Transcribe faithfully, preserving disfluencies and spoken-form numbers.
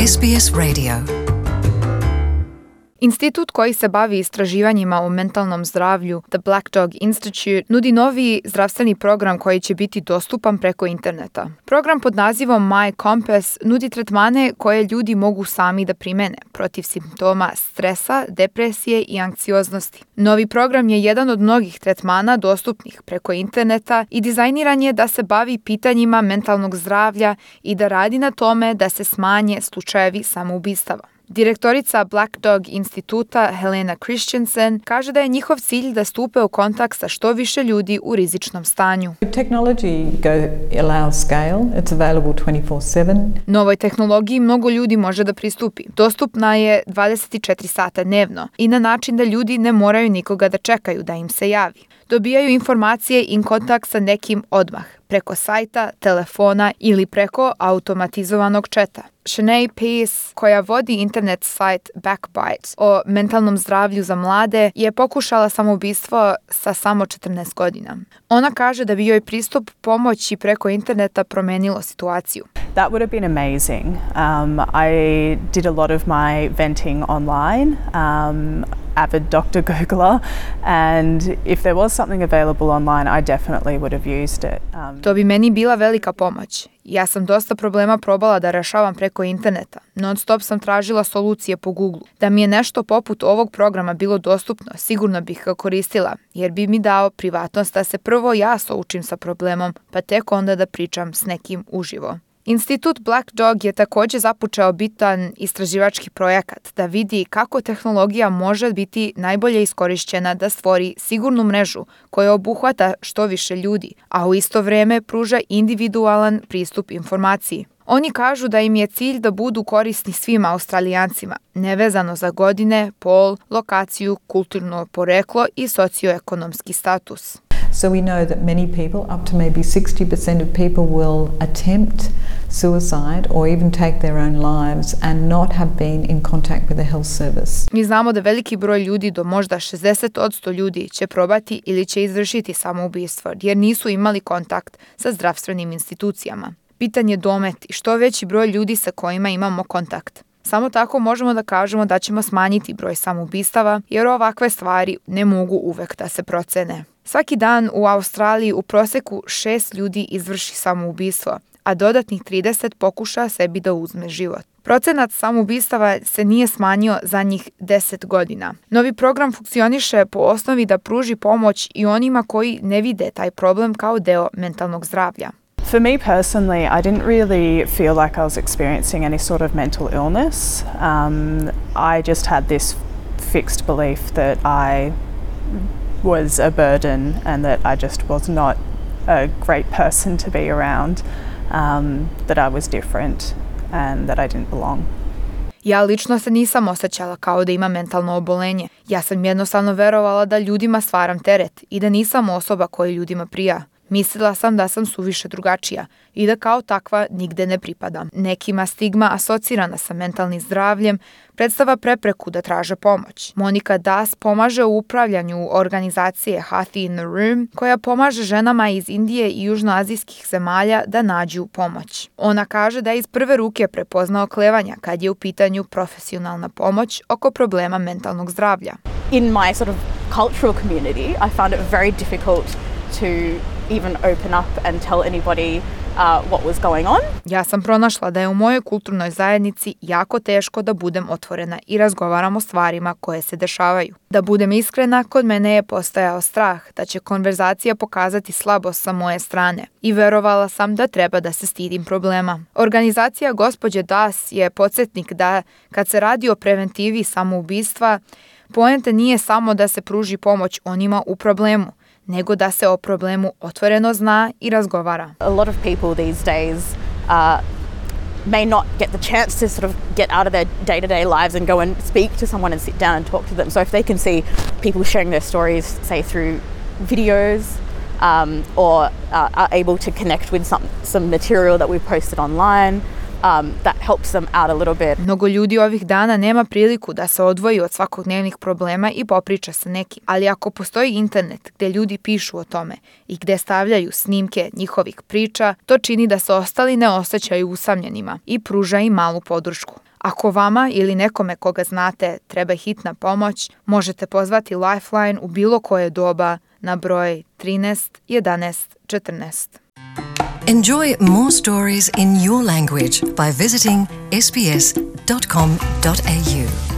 S B S Radio. Institut koji se bavi istraživanjima o mentalnom zdravlju, The Black Dog Institute, nudi novi zdravstveni program koji će biti dostupan preko interneta. Program pod nazivom My Compass nudi tretmane koje ljudi mogu sami da primene protiv simptoma stresa, depresije i anksioznosti. Novi program je jedan od mnogih tretmana dostupnih preko interneta i dizajniran je da se bavi pitanjima mentalnog zdravlja i da radi na tome da se smanje slučajevi samoubistava. Direktorica Black Dog instituta Helena Christensen kaže da je njihov cilj da stupe u kontakt sa što više ljudi u rizičnom stanju. Technology go allows scale. It's available twenty-four seven. Novoj tehnologiji mnogo ljudi može da pristupi. Dostupna je dvadeset četiri sata dnevno i na način da ljudi ne moraju nikoga da čekaju da im se javi. Dobijaju informacije i kontakt sa nekim odmah, preko sajta, telefona ili preko automatizovanog četa. Shanae Pace, koja vodi internet sajt Backbite o mentalnom zdravlju za mlade, je pokušala samoubistvo sa samo četrnaest godina. Ona kaže da bi joj pristup pomoći preko interneta promenilo situaciju. That would have been amazing. Um, I did a lot of my venting online. Um, avid doctor Googler, and if there was something available online, I definitely would have used it. Um, to bi meni bila velika pomoć. Ja sam dosta problema probala da rešavam preko interneta. Non stop sam tražila solucije po Googlu. Da mi je nešto poput ovog programa bilo dostupno, sigurno bih ga koristila, jer bi mi dao privatnost da se prvo ja součim sa problemom, pa tek onda da pričam s nekim uživo. Institut Black Dog je također započeo bitan istraživački projekat da vidi kako tehnologija može biti najbolje iskorišćena da stvori sigurnu mrežu koja obuhvata što više ljudi, a u isto vrijeme pruža individualan pristup informaciji. Oni kažu da im je cilj da budu korisni svim Australijancima, nevezano za godine, pol, lokaciju, kulturno poreklo i socioekonomski status. So we know that many people, up to maybe sixty percent of people, will attempt suicide or even take their own lives and not have been in contact with a health service. Mi znamo da veliki broj ljudi, do možda šezdeset posto ljudi, će probati ili će izvršiti samoubistvo jer nisu imali kontakt sa zdravstvenim institucijama. Bitan je domet i što veći broj ljudi sa kojima imamo kontakt. Samo tako možemo da kažemo da ćemo smanjiti broj samoubistava jer ovakve stvari ne mogu uvek da se procene. Svaki dan u Australiji u proseku šest ljudi izvrši samoubistvo, a dodatnih trideset pokuša sebi da uzme život. Procenat samoubistava se nije smanjio za njih deset godina. Novi program funkcioniše po osnovi da pruži pomoć i onima koji ne vide taj problem kao deo mentalnog zdravlja. For me personally, I didn't really feel like I was experiencing any sort of mental illness. Um, I just had this fixed belief that I was a burden and that I just was not a great person to be around, um, that I was different and that I didn't belong. Ja lično se nisam osjećala kao da imam mentalno obolenje. Ja sam jednostavno verovala da ljudima stvaram teret i da nisam osoba koja ljudima prija. Mislila sam da sam suviše drugačija i da kao takva nigde ne pripadam. Nekima stigma asocirana sa mentalnim zdravljem predstava prepreku da traže pomoć. Monika Das pomaže u upravljanju organizacije Healthy in the Room, koja pomaže ženama iz Indije i južnoazijskih zemalja da nađu pomoć. Ona kaže da je iz prve ruke prepoznao klevanja kad je u pitanju profesionalna pomoć oko problema mentalnog zdravlja. In my sort of cultural community, I found it very difficult to even open up and tell anybody uh, what was going on. Ja sam pronašla da je u mojoj kulturnoj zajednici jako teško da budem otvorena i razgovaram o stvarima koje se dešavaju. Da budem iskrena, kod mene je postojao strah da će konverzacija pokazati slabost sa moje strane i verovala sam da treba da se stidim problema. Organizacija gospođe Das je podsjetnik da kad se radi o preventivi samoubistva, poenta nije samo da se pruži pomoć onima u problemu, nego da se o problemu otvoreno zna i razgovara. A lot of people these days uh, may not get the chance to sort of get out of their day-to-day lives and go and speak to someone and sit down and talk to them. So if they can see people sharing their stories, say through videos, um, or uh, are able to connect with some, some material that we've posted online, Um, that helps them out a little bit. Mnogo ljudi ovih dana nema priliku da se odvoji od svakodnevnih problema i popriča sa nekim. Ali ako postoji internet gdje ljudi pišu o tome i gdje stavljaju snimke njihovih priča, to čini da se ostali ne osjećaju usamljenima i pruža im malu podršku. Ako vama ili nekome koga znate treba hitna pomoć, možete pozvati Lifeline u bilo koje doba na broj trinaest jedanaest četrnaest. Enjoy more stories in your language by visiting s b s dot com dot a u.